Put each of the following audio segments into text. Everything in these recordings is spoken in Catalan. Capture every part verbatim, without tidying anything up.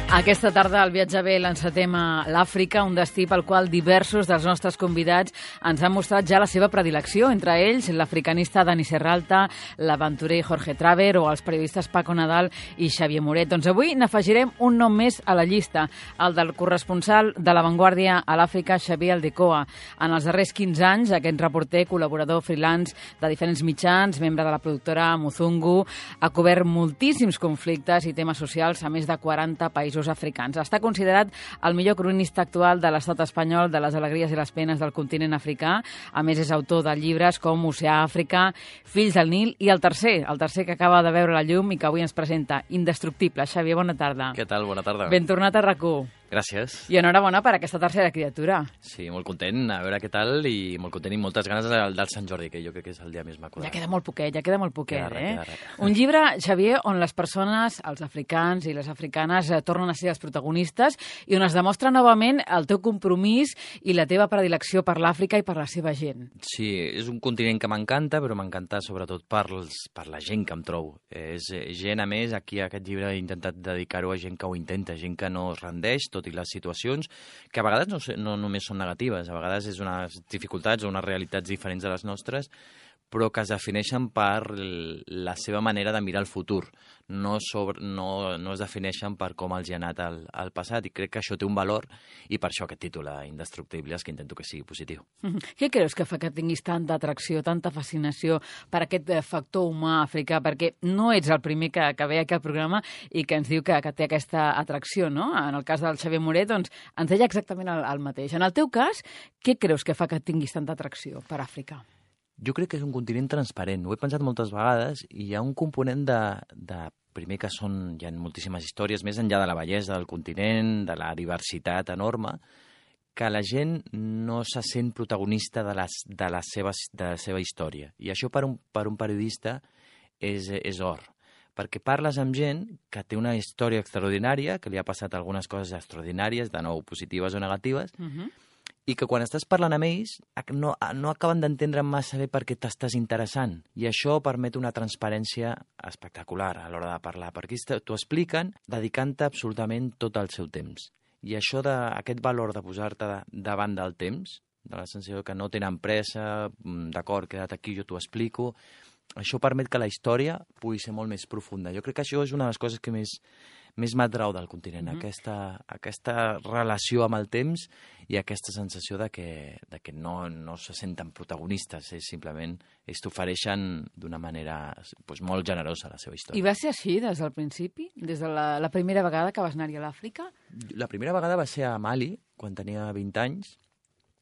Aquesta tarda al Viatge bé l'encetem a l'Àfrica, un destí pel qual diversos dels nostres convidats ens han mostrat ja la seva predilecció, entre ells l'africanista Dani Serralta, l'aventurer Jorge Traver o els periodistes Paco Nadal i Xavier Moret. Doncs avui n'afegirem un nom més a la llista, el del corresponsal de La Vanguardia a l'Àfrica, Xavier Aldecoa. En els darrers quinze anys, aquest reporter, col·laborador freelance de diferents mitjans, membre de la productora Muzungu, ha cobert moltíssims conflictes i temes socials a més de quaranta països africans. Està considerat el millor cronista actual de l'estat espanyol, de les alegries i les penes del continent africà. A més, és autor de llibres com Oceà Àfrica, Fills del Nil i el tercer, el tercer que acaba de veure la llum i que avui ens presenta, Indestructible. Xavier, bona tarda. Què tal? Bona tarda. Ben tornat a RAC u. Gràcies. I enhorabona per aquesta tercera criatura. Sí, molt content, a veure què tal, i molt content i moltes ganes del, del Sant Jordi, que jo crec que és el dia més maco. Ja queda molt poquet, ja queda molt poquet, queda eh? Res, Un llibre, Xavier, on les persones, els africans i les africanes, eh, tornen a ser els protagonistes i on es demostra novament el teu compromís i la teva predilecció per l'Àfrica i per la seva gent. Sí, és un continent que m'encanta, però m'encanta sobretot per, els, per la gent que em trobo. És gent, a més, aquí a aquest llibre he intentat dedicar-ho a gent que ho intenta, gent que no es rendeix, tot i les situacions que a vegades no, no només són negatives, a vegades és unes dificultats o unes realitats diferents de les nostres, però que es defineixen per la seva manera de mirar el futur. No, sobre, no, no es defineixen per com els hi ha anat al, al passat, i crec que això té un valor, i per això aquest títol, Indestructibles, que intento que sigui positiu. Què creus que fa que tinguis tanta atracció, tanta fascinació per aquest factor humà africà? Perquè no ets el primer que, que ve aquí al programa i que ens diu que, que té aquesta atracció, no? En el cas del Xavier Moret, doncs, ens deia exactament el, el mateix. En el teu cas, què creus que fa que tinguis tanta atracció per Àfrica? Jo crec que és un continent transparent. Ho he pensat moltes vegades i hi ha un component de, de primer que són, hi ha moltíssimes històries, més enllà de la bellesa del continent, de la diversitat enorme, que la gent no se sent protagonista de, les, de, la, seva, de la seva història. I això per un, per un periodista és, és or, perquè parles amb gent que té una història extraordinària, que li ha passat algunes coses extraordinàries, de nou positives o negatives, uh-huh. i que quan estàs parlant amb ells no, no acaben d'entendre massa bé per què t'estàs interessant. I això permet una transparència espectacular a l'hora de parlar, perquè t'ho expliquen dedicant-te absolutament tot el seu temps. I això, de, aquest valor de posar-te davant del temps, de la sensació que no tenen pressa, d'acord, queda't aquí, jo t'ho explico, això permet que la història pugui ser molt més profunda. Jo crec que això és una de les coses que més... més m'atrau del continent, mm-hmm. aquesta, aquesta relació amb el temps i aquesta sensació de que, de que no, no se senten protagonistes, és simplement ells t'ofereixen d'una manera pues, molt generosa la seva història. I va ser així des del principi? Des de la, la primera vegada que vas anar-hi a l'Àfrica? La primera vegada va ser a Mali, quan tenia vint anys,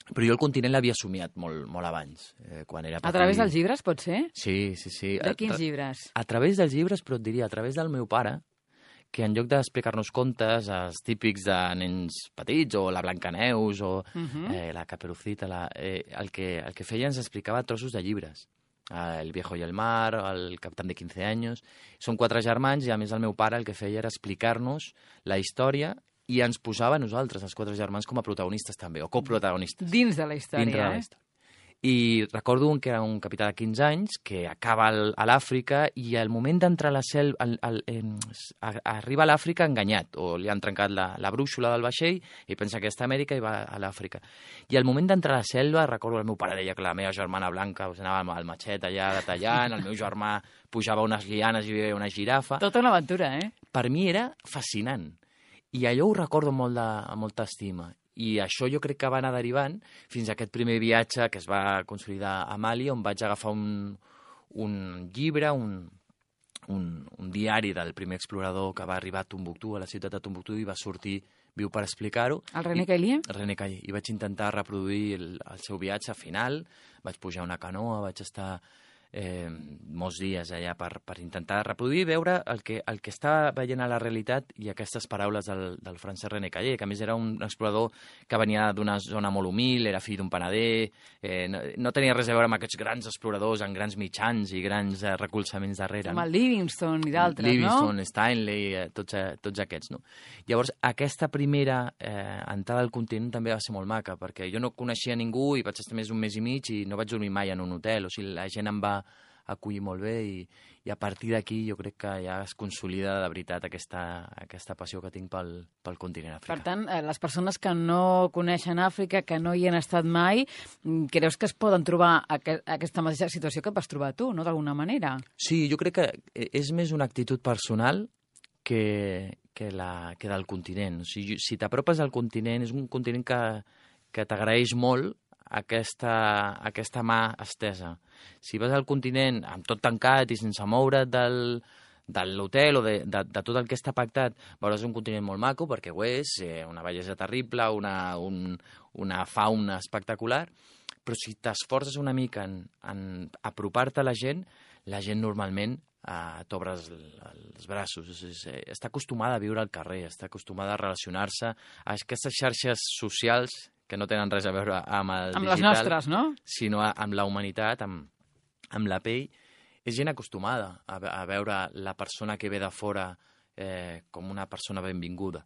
però jo el continent l'havia somiat molt, molt abans. Eh, quan era a través dels llibres, pot ser? Sí, sí, sí. De quins llibres? A, a través dels llibres, però et diria, a través del meu pare, que en lloc d'explicar-nos contes, els típics de nens petits, o la Blancaneus, o uh-huh. eh, la Caperucita, la, eh, el, que, el que feia ens explicava trossos de llibres. El viejo i el mar, el capitán de quinze anys... Són quatre germans i, a més, el meu pare el que feia era explicar-nos la història i ens posava a nosaltres, els quatre germans, com a protagonistes també, o coprotagonistes. Dins de la història, Dintre eh? de la història. I recordo un que era un capità de quinze anys que acaba al, a l'Àfrica i al moment d'entrar a la selva al, al, eh, arriba a l'Àfrica enganyat, o li han trencat la, la brúixola del vaixell i pensa que està a Amèrica i va a l'Àfrica. I al moment d'entrar a la selva, recordo el meu pare deia que la meva germana blanca us anava al matxet allà tallant, el meu germà pujava unes lianes i veia una girafa. Tota una aventura, eh? Per mi era fascinant. I allò ho recordo molt de, amb molta estima. I això jo crec que va anar derivant fins a aquest primer viatge que es va consolidar a Mali, on vaig agafar un, un llibre, un, un, un diari del primer explorador que va arribar a Tombouctou, a la ciutat de Tombouctou, i va sortir viu per explicar-ho. El René Caillier? René Caillier. I vaig intentar reproduir el, el seu viatge final, vaig pujar una canoa, vaig estar eh, molts dies allà per, per intentar reproduir i veure el que, el que està veient a la realitat i aquestes paraules del, del francès René Caillier, que a més era un explorador que venia d'una zona molt humil, era fill d'un panader, eh, no, no tenia res a veure amb aquests grans exploradors amb grans mitjans i grans eh, recolzaments darrere. Com el Livingstone i d'altres, no? Livingstone, Stanley, eh, tots, eh, tots aquests, no? Llavors, aquesta primera eh, entrada al continent també va ser molt maca, perquè jo no coneixia ningú i vaig estar més un mes i mig i no vaig dormir mai en un hotel, o sigui, la gent em va acollir molt bé i, i a partir d'aquí jo crec que ja es consolida de veritat aquesta, aquesta passió que tinc pel, pel continent africà. Per tant, les persones que no coneixen Àfrica, que no hi han estat mai, creus que es poden trobar aqu aquesta mateixa situació que vas trobar tu, no?, d'alguna manera? Sí, jo crec que és més una actitud personal que, que, la, que del continent. O sigui, si t'apropes al continent, és un continent que, que t'agraeix molt aquesta, aquesta mà estesa. Si vas al continent amb tot tancat i sense moure't del, de l'hotel o de, de, de tot el que està pactat, veuràs un continent molt maco, perquè ho és, eh, una bellesa terrible, una, un, una fauna espectacular, però si t'esforces una mica en, en apropar-te a la gent, la gent normalment eh, t'obre els, els braços. És, és, està acostumada a viure al carrer, està acostumada a relacionar-se a aquestes xarxes socials que no tenen res a veure amb el amb digital, les nostres, no? Sinó amb la humanitat, amb, amb la pell. És gent acostumada a, a veure la persona que ve de fora eh, com una persona benvinguda.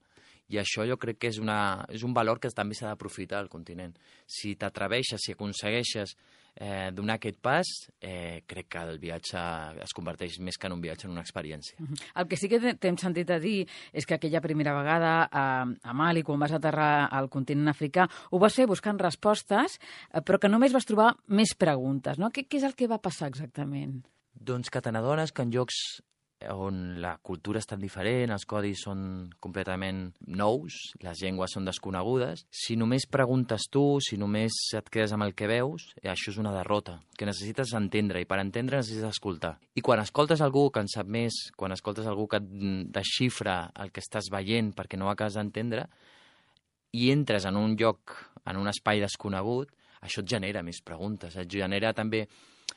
I això jo crec que és, una, és un valor que també s'ha d'aprofitar al continent. Si t'atreveixes, si aconsegueixes eh, donar aquest pas, eh, crec que el viatge es converteix més que en un viatge en una experiència. El que sí que t'hem sentit a dir és que aquella primera vegada a, a Mali, quan vas aterrar al continent africà, ho vas fer buscant respostes, però que només vas trobar més preguntes, no? Què, què és el que va passar exactament? Doncs que te n'adones que en llocs on la cultura és tan diferent, els codis són completament nous, les llengües són desconegudes, si només preguntes tu, si només et quedes amb el que veus, això és una derrota, que necessites entendre, i per entendre necessites escoltar. I quan escoltes algú que en sap més, quan escoltes algú que et desxifra el que estàs veient perquè no ho acabes d'entendre, i entres en un lloc, en un espai desconegut, això et genera més preguntes, et genera també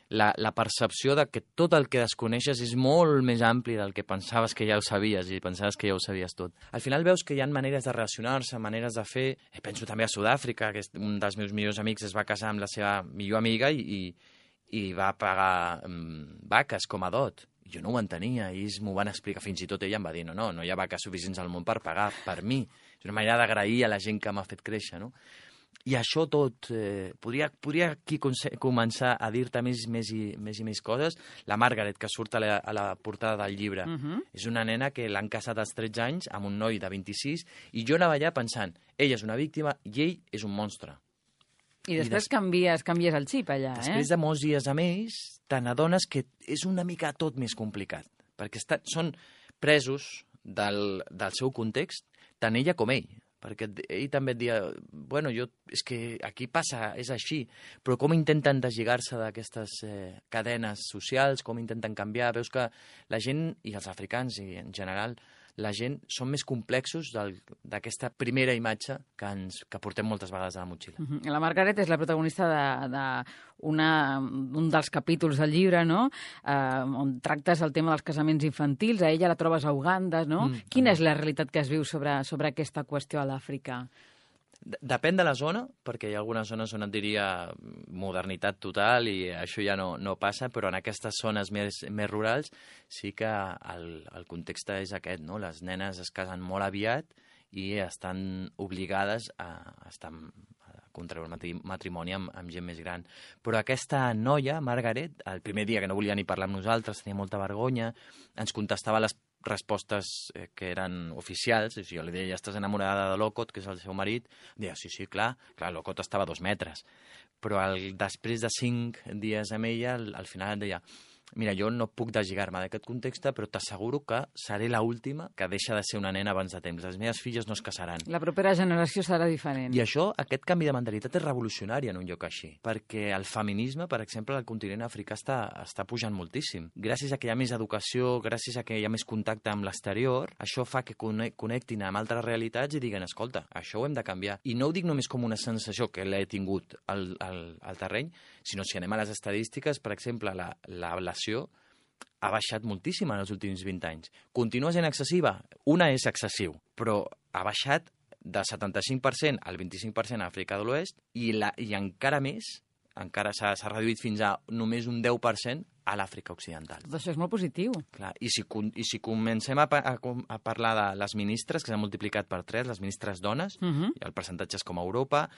La, la percepció de que tot el que desconeixes és molt més ampli del que pensaves que ja ho sabies i pensaves que ja ho sabies tot. Al final veus que hi ha maneres de relacionar-se, maneres de fer... Eh, penso també a Sud-àfrica, que un dels meus millors amics es va casar amb la seva millor amiga i, i, i va pagar um, vaques com a dot. Jo no ho entenia, i ells m'ho van explicar, fins i tot ella em va dir no, no, no hi ha vaques suficients al món per pagar per mi. És una manera d'agrair a la gent que m'ha fet créixer, no? I això tot, eh, podria, podria aquí començar a dir-te més, més, i, més i més coses. La Margaret, que surt a la, a la portada del llibre, uh -huh. és una nena que l'han casat als tretze anys amb un noi de vint-i-sis, i jo anava allà pensant, ella és una víctima i ell és un monstre. I després I des... canvies, canvies el xip allà, després eh? Després de molts dies amb ells, te n'adones que és una mica tot més complicat, perquè està, són presos del, del seu context, tant ella com ell. Perquè ell també et dia, bueno, jo, és que aquí passa, és així, però com intenten deslligar-se d'aquestes eh, cadenes socials, com intenten canviar, veus que la gent, i els africans i en general, la gent són més complexos d'aquesta primera imatge que, ens, que portem moltes vegades a la motxilla. Uh -huh. La Margaret és la protagonista de, de una, un dels capítols del llibre, no?, eh, on tractes el tema dels casaments infantils. A ella la trobes a Uganda, no? Mm, Quina mm. és la realitat que es viu sobre, sobre aquesta qüestió a l'Àfrica? Depèn de la zona, perquè hi ha algunes zones on et diria modernitat total i això ja no, no passa, però en aquestes zones més, més rurals sí que el, el context és aquest, no? Les nenes es casen molt aviat i estan obligades a, a estar a contraure matrimoni amb, amb gent més gran. Però aquesta noia, Margaret, el primer dia que no volia ni parlar amb nosaltres, tenia molta vergonya, ens contestava les respostes eh, que eren oficials. O sigui, jo li deia, ja estàs enamorada de Lokot, que és el seu marit. Em deia, sí, sí, clar, clar, Lokot estava a dos metres. Però el, després de cinc dies amb ella, al, al final em deia, mira, jo no puc deslligar-me d'aquest context, però t'asseguro que seré l'última que deixa de ser una nena abans de temps. Les meves filles no es casaran. La propera generació serà diferent. I això, aquest canvi de mentalitat és revolucionari en un lloc així, perquè el feminisme, per exemple, al continent africà està, està pujant moltíssim. Gràcies a que hi ha més educació, gràcies a que hi ha més contacte amb l'exterior, això fa que connectin amb altres realitats i diguen, escolta, això ho hem de canviar. I no ho dic només com una sensació que l'he tingut al, al, al terreny, sinó si anem a les estadístiques, per exemple, la, la ha baixat moltíssim en els últims vint anys. Continua sent excessiva? Una és excessiu, però ha baixat de setanta-cinc per cent al vint-i-cinc per cent a Àfrica de l'Oest i, la, i encara més, encara s'ha reduït fins a només un deu per cent a l'Àfrica Occidental. Tot això és molt positiu. Clar, i, si, I si comencem a, a, a parlar de les ministres, que s'han multiplicat per tres, les ministres dones, uh -huh. i el percentatge és com a Europa,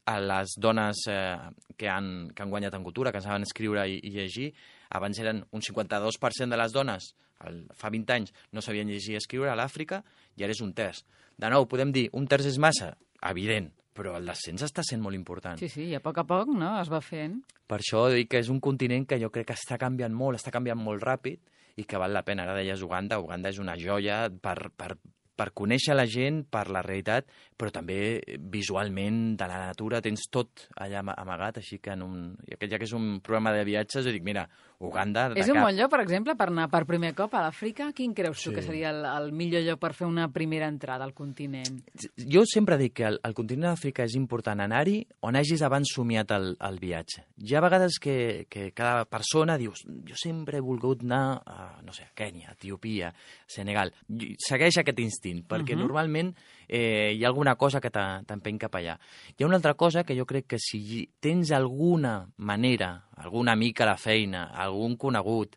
a les dones eh, que, han, que han guanyat en cultura, que saben escriure i, i llegir, Abans eren un cinquanta-dos per cent de les dones, el, fa vint anys, no sabien llegir i escriure a l'Àfrica, i ara és un terç. De nou, podem dir, un terç és massa? Evident, però el descens està sent molt important. Sí, sí, i a poc a poc, no?, es va fent. Per això dic que és un continent que jo crec que està canviant molt, està canviant molt ràpid, i que val la pena. Ara deies Uganda, Uganda és una joia per, per, per conèixer la gent, per la realitat, però també visualment, de la natura, tens tot allà amagat, així que en un, ja que és un programa de viatges, jo dic, mira, Uganda... És un bon lloc, per exemple, per anar per primer cop a l'Àfrica? Quin creus tu Sí. que seria el, el millor lloc per fer una primera entrada al continent? Jo sempre dic que el, el continent d'Àfrica és important anar-hi on hagis abans somiat el, el viatge. Hi ha vegades que, que cada persona dius, jo sempre he volgut anar a, no sé, a Kènia, Etiòpia, Senegal. I segueix aquest instint, perquè uh -huh. normalment eh, hi ha alguna cosa que t'empeny cap allà. Hi ha una altra cosa que jo crec que si tens alguna manera, algun amic a la feina, algun conegut,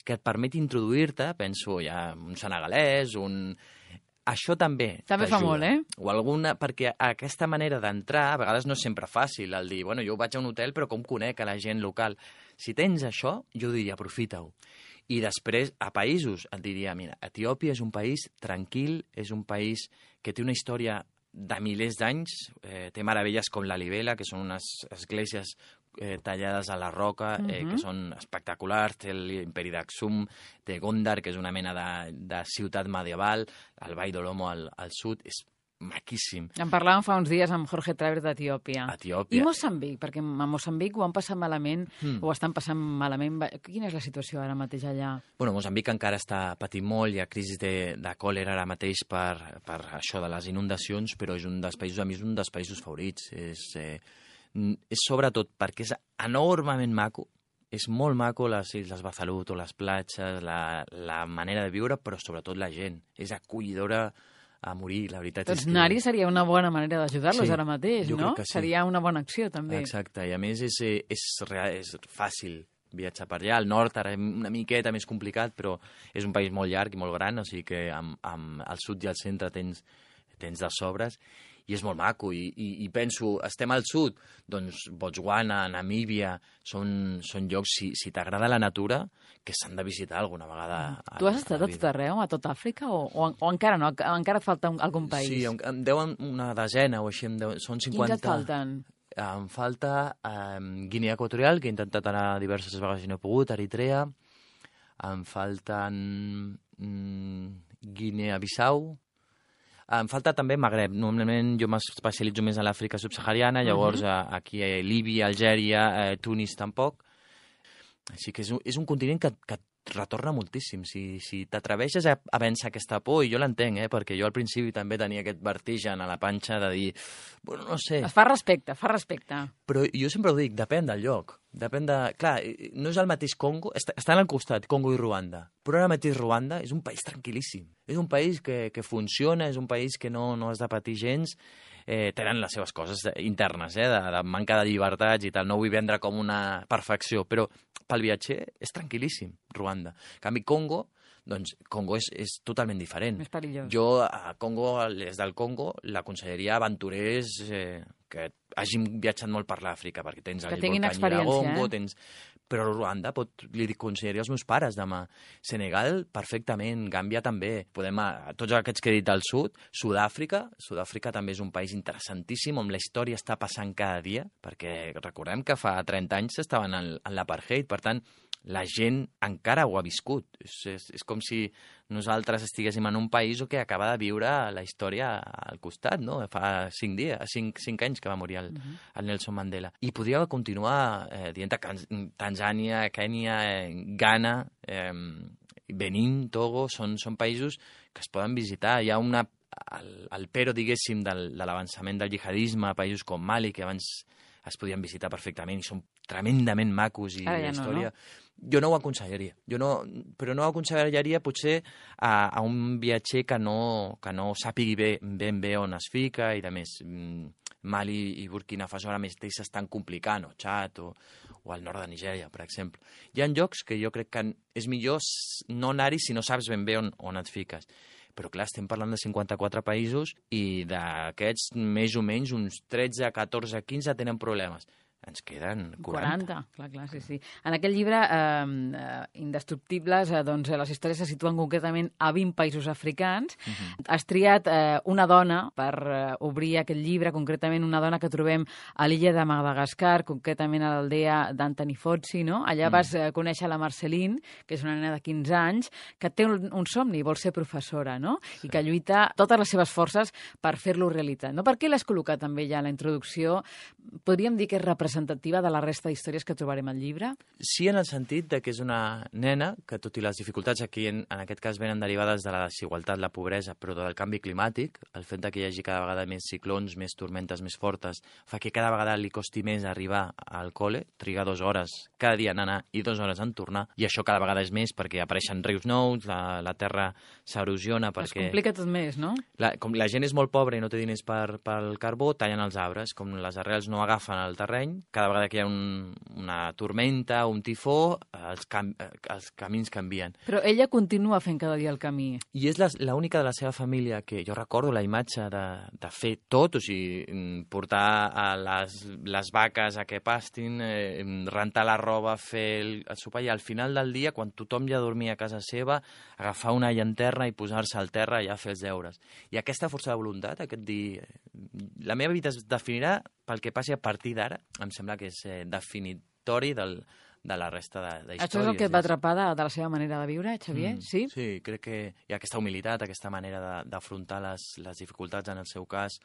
que et permeti introduir-te, penso ja un senegalès, un... Això també També fa molt, eh? O alguna, perquè aquesta manera d'entrar, a vegades no és sempre fàcil, el dir, bueno, jo vaig a un hotel, però com conec a la gent local? Si tens això, jo diria, aprofita-ho. I després, a països, et diria, mira, Etiòpia és un país tranquil, és un país que té una història de milers d'anys, eh, té meravelles com la Libela, que són unes esglésies eh, tallades a la roca, eh, Mhm. que són espectaculars, té l'imperi d'Aksum, té Gondar, que és una mena de, de ciutat medieval, el Vall d'Olomo al, al sud, és maquíssim. En parlàvem fa uns dies amb Jorge Travers d'Etiòpia. Etiòpia. I Moçambic, perquè a Moçambic ho han passat malament, Mm. o estan passant malament. Va- Quina és la situació ara mateix allà? Bueno, Moçambic encara està patint molt, hi ha crisi de, de còlera ara mateix per, per això de les inundacions, però és un dels països, a mi és un dels països favorits. És, eh, és sobretot perquè és enormement maco, és molt maco les Illes Befalut o les platges, la, la manera de viure, però sobretot la gent. És acollidora a morir, la veritat Doncs és que... anar-hi seria una bona manera d'ajudar-los Sí, ara mateix, jo no? crec que sí. Seria una bona acció, també. Exacte, i a més és, eh, és, real, és fàcil viatjar per allà. Al nord ara és una miqueta més complicat, però és un país molt llarg i molt gran, o sigui que amb, amb el sud i el centre tens, tens de sobres, i és molt maco, i, i, i penso, estem al sud, doncs Botswana, Namíbia, són, són llocs, si, si t'agrada la natura, que s'han de visitar alguna vegada. A, Tu has estat a a la tot vida. arreu, a tot Àfrica, o, o, o encara no? Encara et falta un, algun país? Sí, em, em deuen una desena o així, em deuen, són cinquanta... Quins et falten? Em falta um, Guinea Equatorial, que he intentat anar diverses vegades i no he pogut, Eritrea. Em falten mm, Guinea-Bissau. Em falta també Magreb. Normalment jo m'especialitzo més a l'Àfrica subsahariana, llavors uh -huh. aquí a Líbia, Algèria, eh, Tunis tampoc. Així que és un, és un continent que, que et retorna moltíssim. Si, si t'atreveixes a, a vèncer aquesta por, i jo l'entenc, eh, perquè jo al principi també tenia aquest vertigen a la panxa de dir, bueno, no sé... Es fa respecte, fa respecte. Però jo sempre ho dic, depèn del lloc. Depèn de... Clar, no és el mateix Congo, està, estan al costat, Congo i Ruanda, però ara mateix Ruanda és un país tranquil·líssim. És un país que, que funciona, és un país que no, no has de patir gens, eh, tenen les seves coses internes, eh, de, de manca de llibertats i tal, no ho vull vendre com una perfecció, però pel viatger és tranquil·líssim, Ruanda. En canvi, Congo, doncs Congo és, és totalment diferent. Més perillós. Jo a Congo, des del Congo, l'aconsellaria a aventurers eh, que hagin viatjat molt per l'Àfrica, perquè tens Que el tinguin volcà experiència, Nyiragongo, eh? tens... Però Ruanda, pot, li aconsellaria als meus pares demà. Senegal, perfectament. Gàmbia també. Podem, a, a tots aquests que he dit al sud. Sud-àfrica, Sud-àfrica també és un país interessantíssim, on la història està passant cada dia, perquè recordem que fa trenta anys estaven en, en l'apartheid, per tant, la gent encara ho ha viscut. És, és, és com si nosaltres estiguéssim en un país que acaba de viure la història al costat, no? Fa cinc dies, cinc, cinc anys que va morir el, Mhm. el Nelson Mandela. I podria continuar eh, dient que Tanzània, Kènia, eh, Ghana, eh, Benín, Togo, són, són països que es poden visitar. Hi ha una, el, el pero, diguéssim, del, de l'avançament del jihadisme a països com Mali, que abans es podien visitar perfectament i són tremendament macos i Ara ja la no, història... no? Jo no ho aconsellaria, jo no, però no ho aconsellaria potser a, a un viatger que no, que no sàpigui bé, ben bé on es fica i de més. Mali i Burkina Faso ara mateix s'estan complicant, o Txad, o, o al nord de Nigèria, per exemple. Hi ha llocs que jo crec que és millor no anar-hi si no saps ben bé on, on et fiques. Però clar, estem parlant de cinquanta-quatre països i d'aquests més o menys uns tretze, catorze, quinze tenen problemes. ens queden quaranta. quaranta, clar, clar, sí, sí. En aquest llibre, eh, eh, Indestructibles, eh, doncs, les històries se situen concretament a vint països africans. Uh -huh. Has triat eh, una dona per eh, obrir aquest llibre, concretament una dona que trobem a l'illa de Madagascar, concretament a l'aldea d'Antoni Fozzi, no? Allà uh -huh. vas eh, conèixer la Marceline, que és una nena de quinze anys, que té un, un somni, vol ser professora, no? Sí. I que lluita totes les seves forces per fer-lo realitat, no? Per què l'has col·locat també ja a la introducció? Podríem dir que és representativa de la resta d'històries que trobarem al llibre? Sí, en el sentit de que és una nena que, tot i les dificultats aquí, en, en aquest cas, venen derivades de la desigualtat, la pobresa, però del canvi climàtic, el fet de que hi hagi cada vegada més ciclons, més tormentes més fortes, fa que cada vegada li costi més arribar al col·le, trigar dues hores cada dia en anar i dues hores en tornar, i això cada vegada és més perquè apareixen rius nous, la, la terra s'erosiona perquè... Es complica tot més, no? La, com la gent és molt pobra i no té diners per, pel carbó, tallen els arbres. Com les arrels no agafen el terreny, cada vegada que hi ha un, una tormenta o un tifó, els, cam, els camins canvien. Però ella continua fent cada dia el camí. I és l'única de la seva família que jo recordo la imatge de, de fer tot, o sigui, portar a les, les vaques a que pastin, eh, rentar la roba, fer el, el sopar, i al final del dia, quan tothom ja dormia a casa seva, agafar una llanterna i posar-se al terra i ja fer els deures. I aquesta força de voluntat, aquest dir... La meva vida es definirà pel que passi a partir d'ara, em sembla que és eh, definitori del, de la resta de, de històries. Això és el que et va atrapar de, de la seva manera de viure, Xavier? Mm, sí? Sí, crec que hi ha aquesta humilitat, aquesta manera d'afrontar les, les dificultats, en el seu cas,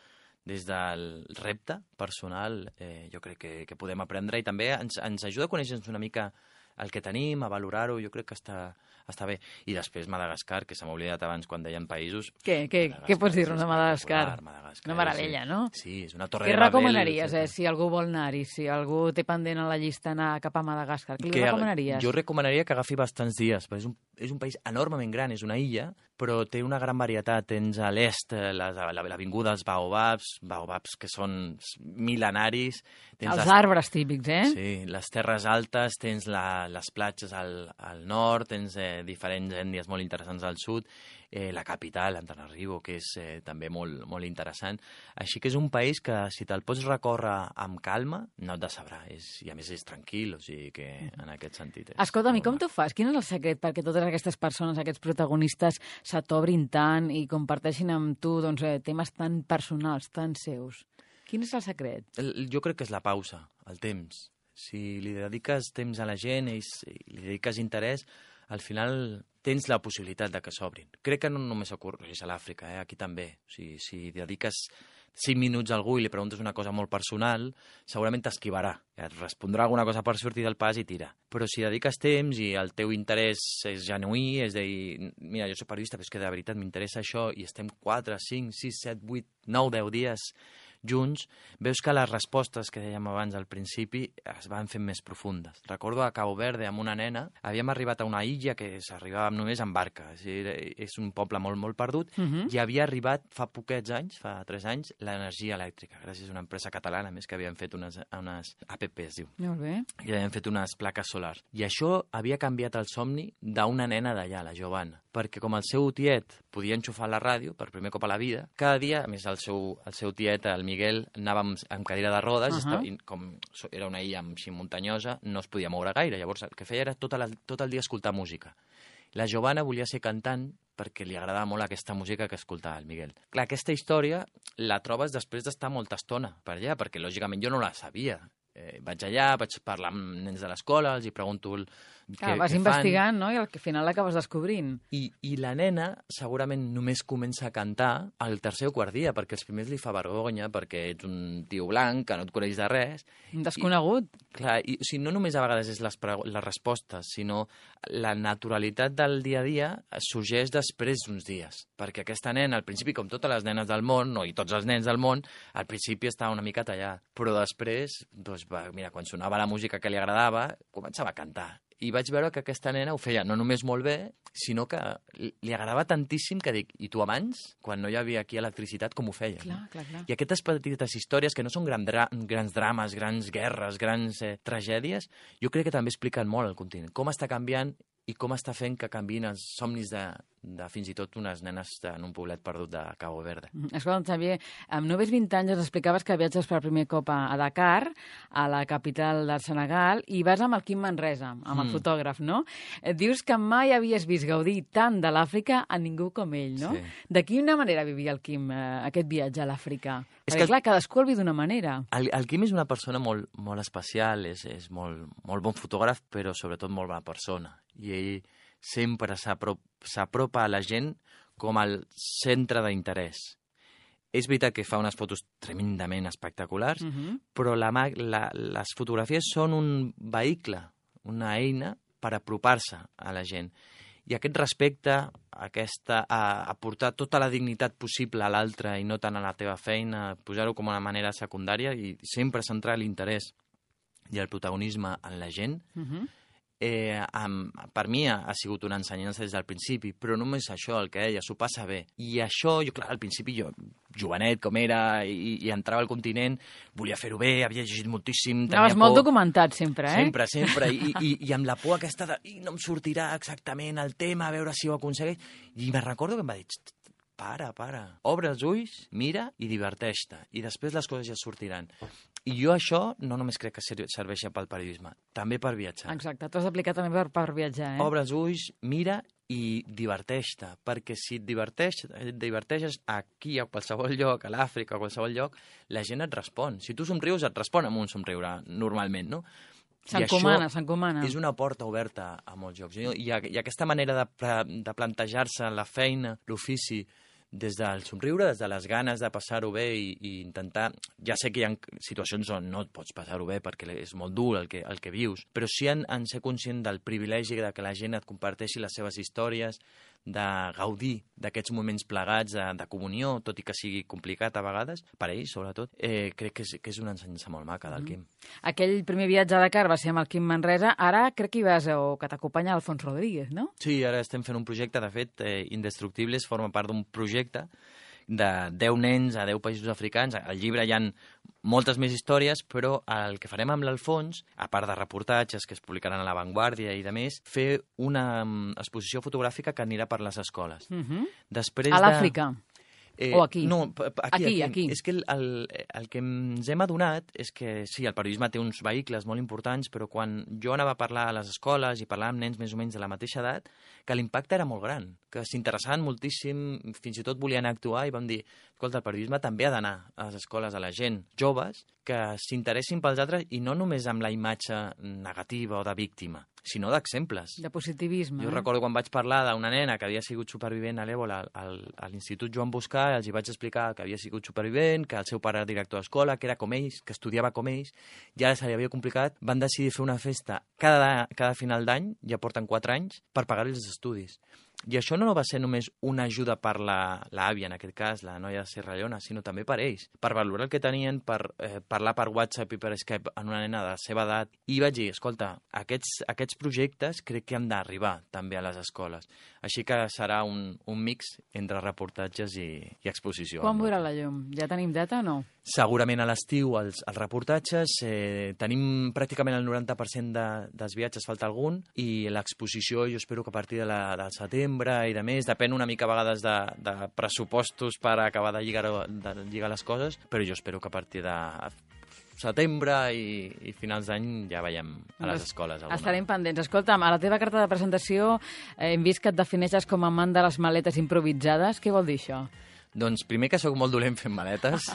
des del repte personal, eh, jo crec que, que podem aprendre, i també ens, ens ajuda a conèixer-nos una mica el que tenim, a valorar-ho, jo crec que està, està bé. I després Madagascar, que se m'ha oblidat abans quan deien països. Què, què, què pots dir-nos de Madagascar? Madagascar? Una meravella, sí. no? Sí, és una torre què de Babel. Què recomanaries, eh, si algú vol anar-hi, si algú té pendent a la llista anar cap a Madagascar? Què li que, recomanaries? Jo recomanaria que agafi bastants dies, perquè és un, és un país enormement gran, és una illa, però té una gran varietat. Tens a l'est l'avinguda dels baobabs, baobabs que són mil·lenaris. Tens Els les, arbres típics, eh? Sí, les terres altes, tens la, les platges al, al nord, tens eh, diferents ètnies molt interessants al sud, eh, la capital, Antananarivo, que és eh, també molt, molt interessant. Així que és un país que, si te'l pots recórrer amb calma, no et decebrà. És, I a més és tranquil, o sigui que en aquest sentit... Escolta'm, i com t'ho fas? Quin és el secret perquè totes aquestes persones, aquests protagonistes, se t'obrin tant i comparteixin amb tu doncs, eh, temes tan personals, tan seus? Quin és el secret? El, jo crec que és la pausa, el temps. Si li dediques temps a la gent i li dediques interès, al final tens la possibilitat de que s'obrin. Crec que no només ocorreix a l'Àfrica, eh? Aquí també. O sigui, si dediques cinc minuts a algú i li preguntes una cosa molt personal, segurament t'esquivarà. Et respondrà alguna cosa per sortir del pas i tira. Però si dediques temps i el teu interès és genuí, és de dir, mira, jo soc periodista, però és que de veritat m'interessa això, i estem quatre, cinc, sis, set, vuit, nou, deu dies junts, veus que les respostes que dèiem abans al principi es van fent més profundes. Recordo a Cabo Verde, amb una nena, havíem arribat a una illa que s'arribava només en barca. És, dir, és un poble molt, molt perdut, uh -huh. i havia arribat fa poquets anys, fa tres anys, l'energia elèctrica, gràcies a una empresa catalana, més que havien fet unes, unes A P P, es diu. Molt bé. I havien fet unes plaques solars. I això havia canviat el somni d'una nena d'allà, la Giovanna, perquè com el seu tiet podia enxufar la ràdio per primer cop a la vida, cada dia, a més el seu, el seu tiet, el Miguel, anava amb, amb cadira de rodes, uh -huh. i estava, i com era una illa així muntanyosa, no es podia moure gaire. Llavors el que feia era tot, la, tot el dia escoltar música. La Giovanna volia ser cantant perquè li agradava molt aquesta música que escoltava el Miguel. Clar, aquesta història la trobes després d'estar molta estona per allà, perquè lògicament jo no la sabia. Eh, vaig allà, vaig parlar amb nens de l'escola, els hi pregunto el, Clar, què, vas què investigant, fan. No? I al final l'acabes descobrint. I, I la nena segurament només comença a cantar al tercer o quart dia, perquè els primers li fa vergonya, perquè ets un tio blanc que no et coneix de res. Un desconegut. I, clar, i, o sigui, no només a vegades és les, les respostes, sinó la naturalitat del dia a dia sorgeix després d'uns dies. Perquè aquesta nena, al principi, com totes les nenes del món, no, i tots els nens del món, al principi estava una mica tallat. Però després, doncs, va, mira, quan sonava la música que li agradava, començava a cantar. I vaig veure que aquesta nena ho feia no només molt bé, sinó que li agradava tantíssim que dic, i tu abans, quan no hi havia aquí electricitat, com ho feia? Clar, no? clar, clar. I aquestes petites històries, que no són gran dra grans drames, grans guerres, grans eh, tragèdies, jo crec que també expliquen molt el continent. Com està canviant i com està fent que canviïn els somnis de, de fins i tot unes nenes en un poblet perdut de Cabo Verde. Escolta'm, Xavier, amb només vint anys ens explicaves que viatges per primer cop a Dakar, a la capital del Senegal, i vas amb el Quim Manresa, amb el mm. fotògraf, no? Dius que mai havies vist gaudir tant de l'Àfrica a ningú com ell, no? Sí. De quina manera vivia el Quim eh, aquest viatge a l'Àfrica? És Perquè, que, clar, cadascú el viu d'una manera. El, el Quim és una persona molt, molt especial, és, és molt, molt bon fotògraf, però sobretot molt bona persona. I ell sempre s'apropa a la gent com al centre d'interès. És veritat que fa unes fotos tremendament espectaculars, uh-huh. però la, la, les fotografies són un vehicle, una eina per apropar-se a la gent. I aquest respecte, aquesta, a, a portar tota la dignitat possible a l'altre i no tant a la teva feina, posar-ho com una manera secundària i sempre centrar l'interès i el protagonisme en la gent, uh-huh. Eh, amb, per mi ha, ha sigut una ensenyança des del principi, però només això, el que deia, s'ho passa bé. I això, jo, clar, al principi jo, jovenet com era, i, i entrava al continent, volia fer-ho bé, havia llegit moltíssim, tenia Anaves por. molt documentat sempre, eh? Sempre, sempre, i, i, i amb la por aquesta de i no em sortirà exactament el tema, a veure si ho aconsegueix. I me recordo que em va dir, para, para, obre els ulls, mira i diverteix-te, i després les coses ja sortiran. I jo això no només crec que serveixi pel periodisme, també per viatjar. Exacte, t'ho has aplicat també per, per viatjar, eh? Obre els ulls, mira i diverteix-te, perquè si et diverteix, et diverteixes aquí, a qualsevol lloc, a l'Àfrica, a qualsevol lloc, la gent et respon. Si tu somrius, et respon amb un somriure, normalment, no? S'encomana, s'encomana. És una porta oberta a molts llocs. I, i aquesta manera de, de plantejar-se la feina, l'ofici, des del somriure, des de les ganes de passar-ho bé i, i intentar... Ja sé que hi ha situacions on no et pots passar-ho bé perquè és molt dur el que, el que vius, però sí en, en ser conscient del privilegi de que la gent et comparteixi les seves històries, de gaudir d'aquests moments plegats de, de comunió, tot i que sigui complicat a vegades, per ells sobretot, eh, crec que és, que és una ensenyança molt maca del Quim. Mm. Aquell primer viatge a Dakar va ser amb el Quim Manresa, ara crec que hi vas, o que t'acompanya Alfons Rodríguez, no? Sí, ara estem fent un projecte, de fet, eh, Indestructibles forma part d'un projecte de deu nens a deu països africans. Al llibre hi ha moltes més històries, però el que farem amb l'Alfons, a part de reportatges que es publicaran a La Vanguardia i de més, fer una exposició fotogràfica que anirà per les escoles. Uh-huh. Després a l'Àfrica? De... Eh, o aquí? No, aquí, aquí, aquí, aquí. És que el, el, el que ens hem adonat és que sí, el periodisme té uns vehicles molt importants, però quan jo anava a parlar a les escoles i parlar amb nens més o menys de la mateixa edat, que l'impacte era molt gran, que s'interessaven moltíssim, fins i tot volien actuar i vam dir, escolta, el periodisme també ha d'anar a les escoles, a la gent joves, que s'interessin pels altres i no només amb la imatge negativa o de víctima, sinó d'exemples. De positivisme. Jo eh? recordo quan vaig parlar d'una nena que havia sigut supervivent a l'Èbola al, a l'Institut Joan Boscà, els hi vaig explicar que havia sigut supervivent, que el seu pare era director d'escola, que era com ells, que estudiava com ells, i ara se li havia complicat, van decidir fer una festa cada, cada final d'any, ja porten quatre anys, per pagar-li els estudis. I això no va ser només una ajuda per l'àvia, en aquest cas, la noia de Serrallona, sinó també per ells, per valorar el que tenien, per eh, parlar per WhatsApp i per Skype amb una nena de la seva edat. I vaig dir, escolta, aquests, aquests projectes crec que han d'arribar també a les escoles. Així que serà un, un mix entre reportatges i, i exposició. Quan veurà la llum? Ja tenim data o no? Segurament a l'estiu els, els reportatges, eh, tenim pràcticament el noranta per cent de, dels viatges, falta algun, i l'exposició jo espero que a partir de la, del setembre i de més, depèn una mica a vegades de, de pressupostos per acabar de lligar, de lligar les coses, però jo espero que a partir de setembre i, i finals d'any ja veiem a les escoles. Alguna. Estarem pendents. Escolta'm, a la teva carta de presentació eh, hem vist que et defineixes com a amant de les maletes improvisades. Què vol dir això? Doncs primer que sóc molt dolent fent maletes,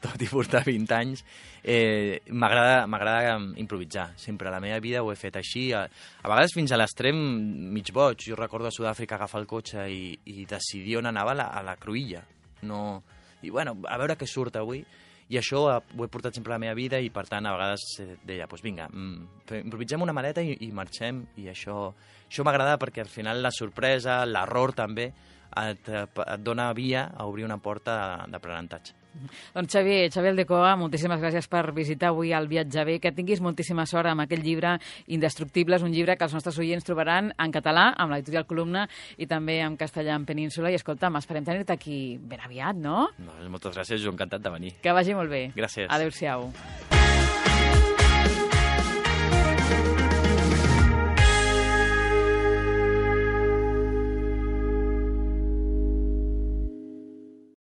tot i portar vint anys. Eh, M'agrada improvisar. Sempre a la meva vida ho he fet així. A, a vegades fins a l'extrem mig boig. Jo recordo a Sud-àfrica agafar el cotxe i, i decidir on anava a la, a la cruïlla. No... I bueno, a veure què surt avui. I això ho he portat sempre a la meva vida i, per tant, a vegades deia, doncs vinga, improvisem una maleta i, i marxem. I això, això m'agrada perquè al final la sorpresa, l'error també, et, et dona via a obrir una porta d'aprenentatge. Doncs Xavier, Xavier Aldecoa, moltíssimes gràcies per visitar avui el Viatge Bé, que tinguis moltíssima sort amb aquell llibre Indestructibles, un llibre que els nostres oients trobaran en català, amb l'editorial Columna, i també en castellà en Península. I escolta'm, esperem tenir-te aquí ben aviat, no? no? Moltes gràcies, jo encantat de venir. Que vagi molt bé. Gràcies. Adéu-siau.